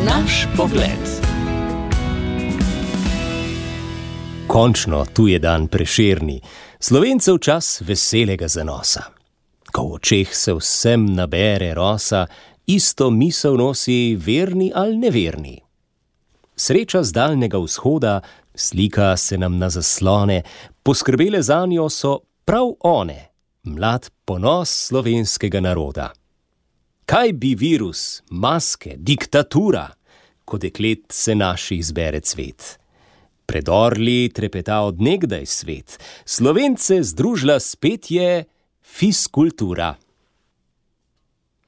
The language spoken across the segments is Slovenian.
Naš pogled. Končno, tu je dan Prešerni, Slovencev čas veselega zanosa. Ko v očeh se vsem nabere rosa, isto misel nosi verni ali neverni. Sreča z daljnega vzhoda, slika se nam na zaslone, poskrbele zanjo so prav one, mlad ponos slovenskega naroda. Kaj bi virus, maske, diktatura, ko deklet se naši izbere cvet? Pred orli trepeta od nekdaj svet, Slovence združila spet je fiskultura.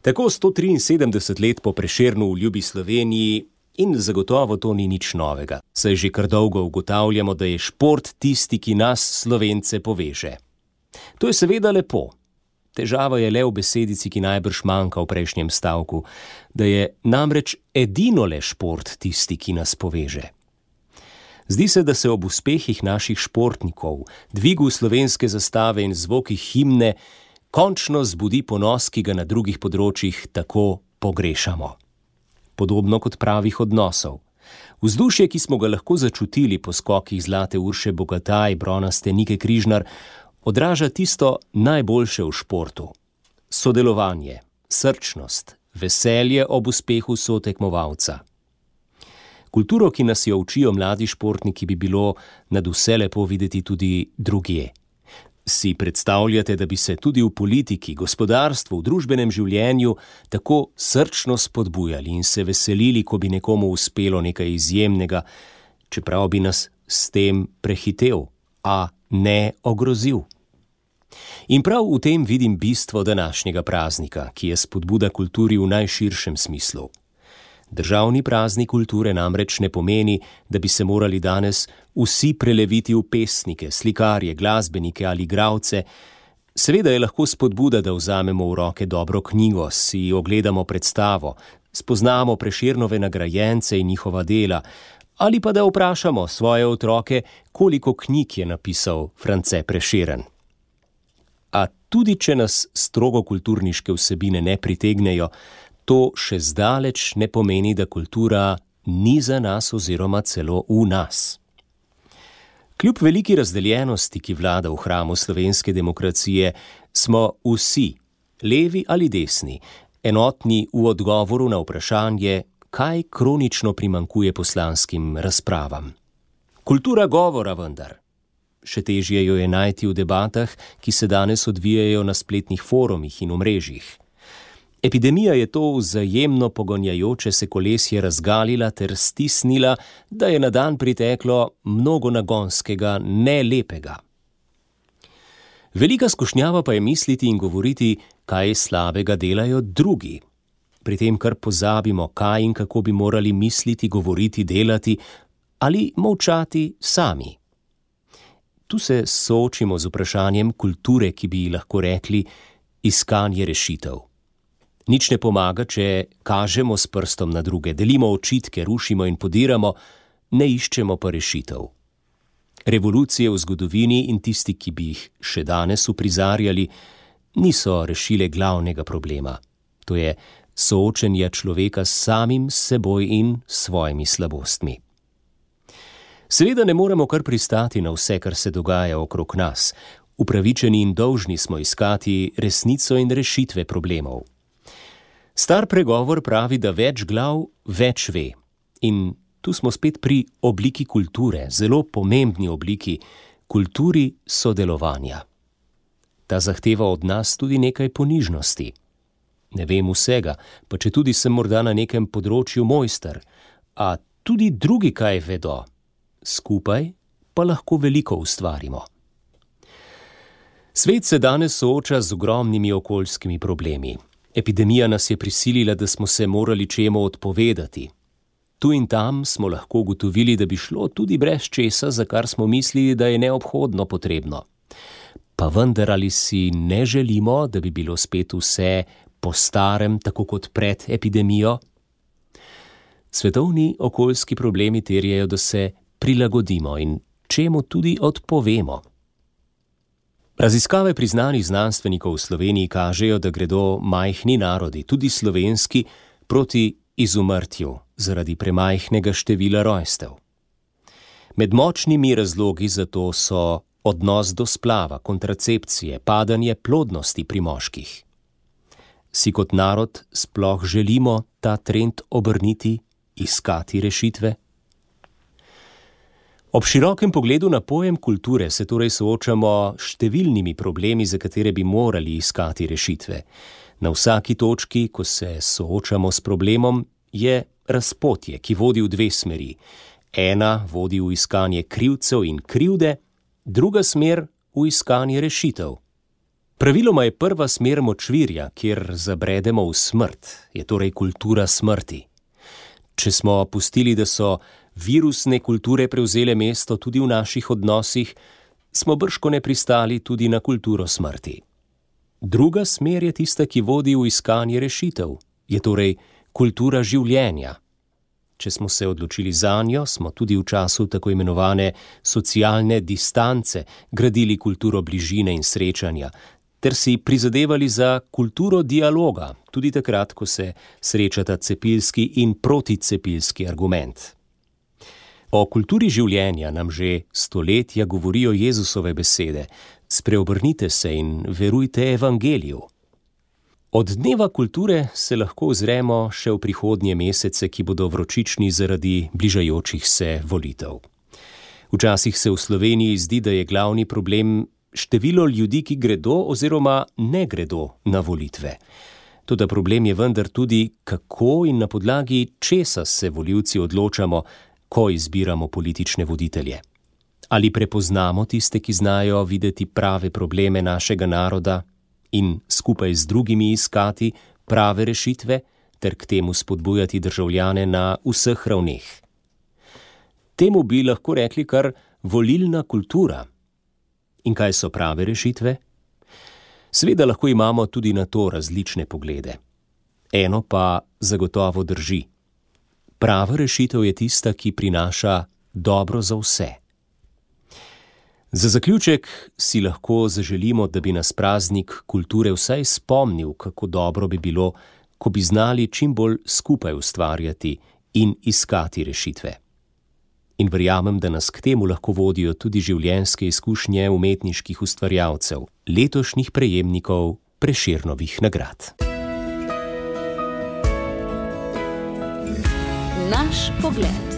Tako 173 let po Prešernu v ljubi Sloveniji in zagotovo to ni nič novega, saj že kar dolgo ugotavljamo, da je šport tisti, ki nas Slovence poveže. To je seveda lepo. Težava je le v besedici, ki najbrž manjka v prejšnjem stavku, da je namreč edino le šport tisti, ki nas poveže. Zdi se, da se ob uspehih naših športnikov, dvigu slovenske zastave in zvokih himne, končno zbudi ponos, ki ga na drugih področjih tako pogrešamo. Podobno kot pravih odnosov. Vzdušje, ki smo ga lahko začutili po skokih Zlate Urše Bogataj, bronaste Nike Križnar, odraža tisto najboljše v športu. Sodelovanje, srčnost, veselje ob uspehu sotekmovalca. Kulturo, ki nas jo učijo mladi športniki, bi bilo nadvse lepo videti tudi drugje. Si predstavljate, da bi se tudi v politiki, gospodarstvu, v družbenem življenju tako srčno spodbujali in se veselili, ko bi nekomu uspelo nekaj izjemnega, čeprav bi nas s tem prehitel, a ne ogrozil? In prav v tem vidim bistvo današnjega praznika, ki je spodbuda kulturi v najširšem smislu. Državni praznik kulture namreč ne pomeni, da bi se morali danes vsi preleviti v pesnike, slikarje, glasbenike ali igralce. Seveda je lahko spodbuda, da vzamemo v roke dobro knjigo, si ogledamo predstavo, spoznamo Prešernove nagrajence in njihova dela, ali pa da vprašamo svoje otroke, koliko knjig je napisal France Prešeren. A tudi če nas strogo kulturniške vsebine ne pritegnejo, to še zdaleč ne pomeni, da kultura ni za nas oziroma celo v nas. Kljub veliki razdeljenosti, ki vlada v hramu slovenske demokracije, smo vsi, levi ali desni, enotni v odgovoru na vprašanje, kaj kronično primanjkuje poslanskim razpravam. Kultura govora vendar. Še težje jo je najti v debatah, ki se danes odvijajo na spletnih forumih in omrežjih. Epidemija je to vzajemno pogonjajoče se kolesje razgalila ter stisnila, da je na dan priteklo mnogo nagonskega, ne lepega. Velika skušnjava pa je misliti in govoriti, kaj slabega delajo drugi. Pri tem kar pozabimo, kaj in kako bi morali misliti, govoriti, delati ali molčati sami. Tu se soočimo z vprašanjem kulture, ki bi lahko rekli iskanje rešitev. Nič ne pomaga, če kažemo s prstom na druge, delimo očitke, rušimo in podiramo, ne iščemo pa rešitev. Revolucije v zgodovini in tisti, ki bi jih še danes uprizarjali, niso rešile glavnega problema. To je soočenje človeka s samim seboj in svojimi slabostmi. Seveda ne moremo kar pristati na vse, kar se dogaja okrog nas. Upravičeni in dolžni smo iskati resnico in rešitve problemov. Star pregovor pravi, da več glav več ve. In tu smo spet pri obliki kulture, zelo pomembni obliki, kulturi sodelovanja. Ta zahteva od nas tudi nekaj ponižnosti. Ne vem vsega, pa četudi sem morda na nekem področju mojster, a tudi drugi kaj vedo. Skupaj pa lahko veliko ustvarimo. Svet se danes sooča z ogromnimi okoljskimi problemi. Epidemija nas je prisilila, da smo se morali čemu odpovedati. Tu in tam smo lahko ugotovili, da bi šlo tudi brez česa, za kar smo mislili, da je neobhodno potrebno. Pa vendar ali si ne želimo, da bi bilo spet vse po starem, tako kot pred epidemijo? Svetovni okoljski problemi terjajo, da se prilagodimo in čemu tudi odpovemo. Raziskave priznanih znanstvenikov v Sloveniji kažejo, da gredo majhni narodi, tudi slovenski, proti izumrtju zaradi premajhnega števila rojstev. Med močnimi razlogi za to so odnos do splava, kontracepcije, padanje plodnosti pri moških. Si kot narod sploh želimo ta trend obrniti, iskati rešitve? Ob širokem pogledu na pojem kulture se torej soočamo s številnimi problemi, za katere bi morali iskati rešitve. Na vsaki točki, ko se soočamo s problemom, je razpotje, ki vodi v dve smeri. Ena vodi v iskanje krivcev in krivde, druga smer v iskanje rešitev. Praviloma je prva smer močvirja, kjer zabredemo v smrt, je torej kultura smrti. Če smo pustili, da so virusne kulture prevzele mesto tudi v naših odnosih, smo bržkone pristali tudi na kulturo smrti. Druga smer je tista, ki vodi v iskanje rešitev, je torej kultura življenja. Če smo se odločili zanjo, smo tudi v času tako imenovane socialne distance gradili kulturo bližine in srečanja, ter si prizadevali za kulturo dialoga, tudi takrat, ko se srečata cepilski in proticepilski argument. O kulturi življenja nam že stoletja govorijo Jezusove besede: spreobrnite se in verujte evangeliju. Od dneva kulture se lahko ozremo še v prihodnje mesece, ki bodo vročični zaradi bližajočih se volitev. Včasih se v Sloveniji zdi, da je glavni problem število ljudi, ki gredo oziroma ne gredo na volitve. Toda problem je vendar tudi, kako in na podlagi česa se volivci odločamo, ko izbiramo politične voditelje. Ali prepoznamo tiste, ki znajo videti prave probleme našega naroda in skupaj z drugimi iskati prave rešitve ter k temu spodbujati državljane na vseh ravneh. Temu bi lahko rekli kar volilna kultura. In kaj so prave rešitve? Seveda lahko imamo tudi na to različne poglede. Eno pa zagotovo drži. Prava rešitev je tista, ki prinaša dobro za vse. Za zaključek si lahko zaželimo, da bi nas praznik kulture vsaj spomnil, kako dobro bi bilo, ko bi znali čim bolj skupaj ustvarjati in iskati rešitve. In verjamem, da nas k temu lahko vodijo tudi življenjske izkušnje umetniških ustvarjalcev, letošnjih prejemnikov Prešernovih nagrad. Naš pogled.